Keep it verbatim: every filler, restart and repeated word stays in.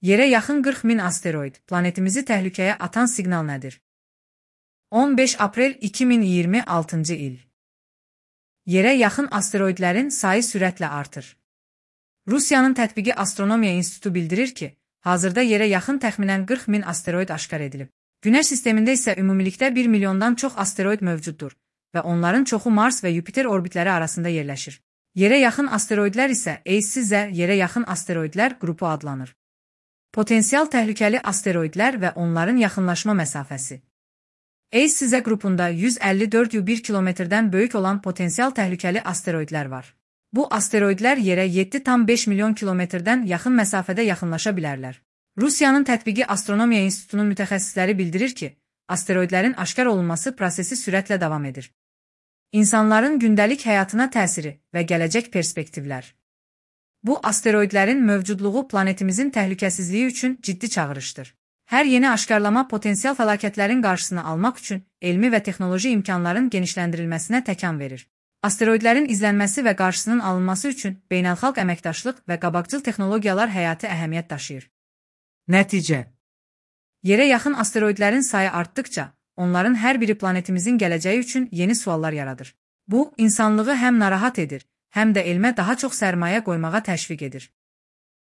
Yerə yaxın qırx min asteroid, planetimizi təhlükəyə atan siqnal nədir? on beş aprel iki min iyirmi altıncı il. Yerə yaxın asteroidlərin sayı sürətlə artır. Rusiyanın Tətbiqi Astronomiya İnstitutu bildirir ki, hazırda yerə yaxın təxminən qırx min asteroid aşkar edilib. Günəş sistemində isə ümumilikdə bir milyondan çox asteroid mövcuddur və onların çoxu Mars və Yupiter orbitləri arasında yerləşir. Yerə yaxın asteroidlər isə E S Z yerə yaxın asteroidlər qrupu adlanır. Potensial təhlükəli asteroidlər və onların yaxınlaşma məsafəsi. E S Z qrupunda yüz əlli dörd nöqtə bir kilometrdən böyük olan potensial təhlükəli asteroidlər var. Bu asteroidlər yerə yeddi nöqtə beş milyon kilometrdən yaxın məsafədə yaxınlaşa bilərlər. Rusiyanın Tətbiqi Astronomiya İnstitutunun mütəxəssisləri bildirir ki, asteroidlərin aşkar olunması prosesi sürətlə davam edir. İnsanların gündəlik həyatına təsiri və gələcək perspektivlər. Bu asteroidlərin mövcudluğu planetimizin təhlükəsizliyi üçün ciddi çağırışdır. Hər yeni aşkarlama potensial fəlakətlərin qarşısını almaq üçün elmi və texnoloji imkanların genişləndirilməsinə təkan verir. Asteroidlərin izlənməsi və qarşısının alınması üçün beynəlxalq əməkdaşlıq və qabaqcıl texnologiyalar həyati əhəmiyyət daşıyır. Nəticə: Yerə yaxın asteroidlərin sayı artdıkca, onların hər biri planetimizin gələcəyi üçün yeni suallar yaradır. Bu, insanlığı həm narahat edir, həm də elmə daha çox sərmayə qoymağa təşviq edir.